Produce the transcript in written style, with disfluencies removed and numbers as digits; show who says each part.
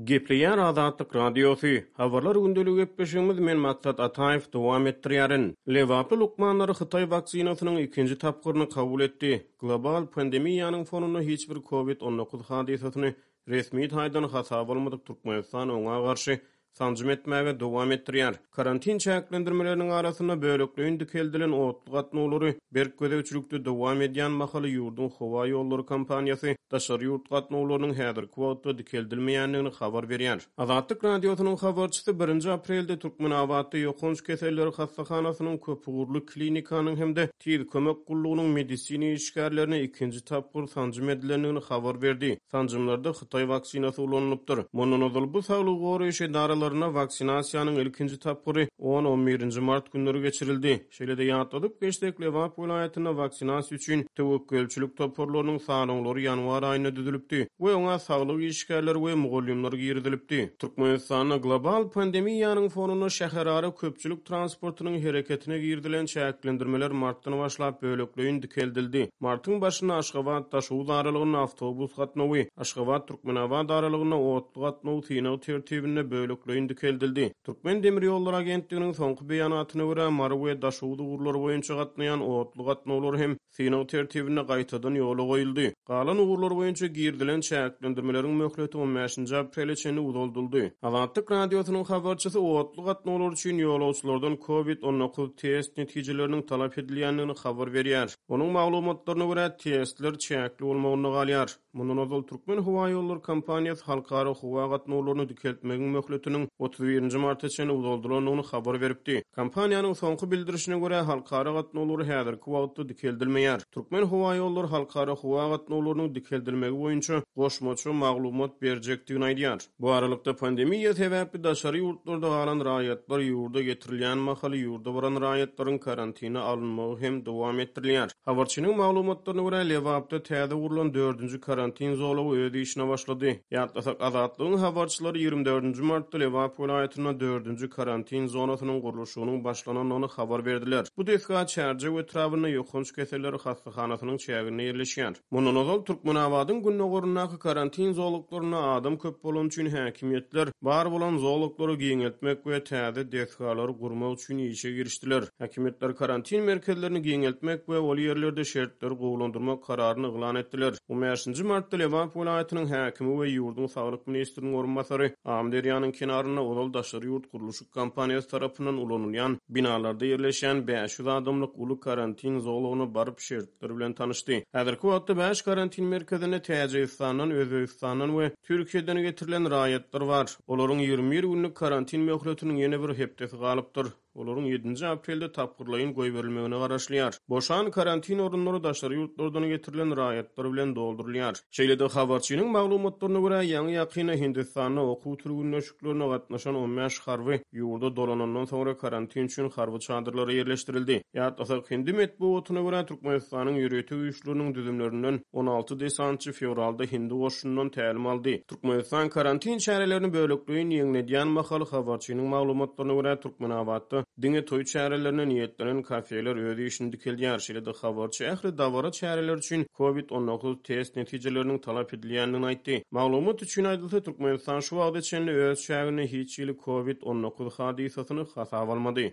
Speaker 1: Gepleýär Azatlyk Radiosy, Habarlar gündeligi gepleşigimiz men Maksat Ataýew dowam etdirýärin. Lebaply lukmanlar hytaý waksinasynyň ikinji tapgyryny kabul etdi. Global pandemiýanyň fonunda hiç bir Covid 19 hadysasyny resmi taýdan hasaba almadyk Türkmenistan oňa garşy sanjym etmäge dowam etdirýär. Karantin çäklendirmeleriniň arasynda bölekleýin dikeldilen otly gatnawlary berk gözegçilikde dowam edýän mahaly ýurduň howa ýollary kompaniýasy daşary ýurt gatnawlarynyň häzirki wagtda dikeldilmeýändigini habar berýär. Azatlyk Radiosynyň habarçysy birinji aprelde Türkmenabatda ýokanç keselleri hassahanasynyň köpugurly klinikanyň hem-de Tiz kömek gullugynyň medisina işgärlerine ikinji tapgyr sanjym edilendigini habar berdi. Sanjymlarda hytaý waksinasy ulanylypdyr. Mundan ozal bu saglygy goraýyş edaralarynda waksinasiýanyň ilkinji tapgyry on-on birinji mart günleri geçirildi. Şeýle-de ýatladyp geçsek, Lebap welaýatynda waksinasiýa üçin töwekgelçilik toparlarynyň sanawlary ýanwar aýynda düzülipdi we oňa saglyk işgärleri we mugallymlar girizilipdi. Türkmenistanda global pandemiýanyň fonunda şäherara köpçülik transportynyň hereketine girizilen çäklendirmeler martdan başlap bölekleýin dikeldildi. Martyň başynda Aşgabat-Daşoguz aralygynda awtobus gatnawy, Aşgabat-Türkmenabat aralygynda otly gatnaw synag tertibinde bölekleýin dikeldildi. Türkmendemirýollary agentliginiň soňky beýanatyna görä, Mary we Daşoguz ugurlary boýunça gatnaýan otly gatnawlary hem synag tertibinde gaýtadan ýola goýuldy. Galan ugurlar boýunça girizilen çäklendirmeleriň möhleti on bäşinji aprele çenli uzaldyldy. Azatlyk Radiosynyň habarçysy otly gatnawlar üçin ýolagçylardan Covid 19 test netijeleriniň talap edilýändigini habar berýär. Onuň maglumatlaryna görä, testler çäkli bolmagynda galýar. Mundan ozal Türkmenhowaýollary kompaniýasy halkara howa gatnawlaryny dikeltmegiň möhletiniň 31 nji marta çenli uzaldylandygyny habar beripdi. Kompaniýanyň soňky bildirişine görä, halkara gatnawlary häzirki wagtda dikeldilmeýär. Türkmenhowaýollary halkara howa gatnawlarynyň dikeldilmegi boýunça goşmaça maglumat berjekdigini aýdýar. Bu aralykda, pandemiýa sebäpli daşary ýurtlarda galan raýatlar ýurda getirilýän mahaly ýurda baran raýatlaryň karantine alynmagy hem dowam etdirilýär. Habarçynyň maglumatlaryna görä, Lebapda täze gurlan dördünji karantin zolagy öz işine başlady. Ýatlasak, Azatlygyň habarçylary 24 nji martda Lebap welaýatynda dördünji karantin zonasynyň gurluşygynyň başlanandygyny habar berdiler. Bu desga Çärjew etrabynda ýokanç keselleri hassahanasynyň çäginde ýerleşýär. Mundan ozal, Türkmenabadyň gündogaryndaky karantin zolaklarynda adam köp bolany üçin häkimiýetler bar bolan zolaklary giňeltmek we täze desgalary gurmak üçin işe girişdiler. Häkimiýetler karantin merkezlerini giňeltmek we ol ýerlerde şertleri gowulandyrmak kararyny yglan etdiler. On bäşinji martda Lebap welaýatynyň häkimi we ýurduň saglyk ministriniň orunbasary Amyderýanyň kenarynda ozal daşary ýurt gurluşyk kompaniýasy tarapyndan ulanylýan binalarda ýerleşýän 500 adamlyk uly karantin zolagyna baryp şert ler bilen tanyşdy. Häzirki wagtda bäş karantin merkezinde Täjigistandan, Özbegistandan we Türkiýeden getirilen raýatlar bar. Olaryň 21 günlük karantin möhletiniň ýene bir hepdesi galypdyr. Olaryň ýedinji aprelde tapgyrlaýyn goýberilmegine garaşylýar. Boşan karantin orunlary daşary ýurtlardan getirilen raýatlar bilen doldurylýar. Şeýle-de, habarçynyň maglumatlaryna görä, ýaňy-ýakynda Hindistanda okuw türgünleşiklerine gatnaşan 15 harby ýurda dolanandan soňra karantin üçin harby çadyrlara ýerleşdirildi. Ýatlasak, hindi metbugatyna görä, Türkmenistanyň ýörite güýçleriniň düzümlerinden 16 desantçy fewralda hindi goşunyndan tälim aldy. Türkmenistan karantin çärelerini bölekleýin ýeňledýän mahaly, habarçynyň maglumatlaryna görä, Türkmenabatda diňe toý çärelerine niýetlenen kafeler öz işini dikeldýär. Şeýle-de, habarçy ähli dabara çäreleri üçin Covid 19 test netijeleriniň talap edilýändigini aýtdy. Maglumat üçin aýdylsa, Türkmenistan şu wagta çenli öz çäginde hiç hili Covid 19 hadysasyny hasaba almady.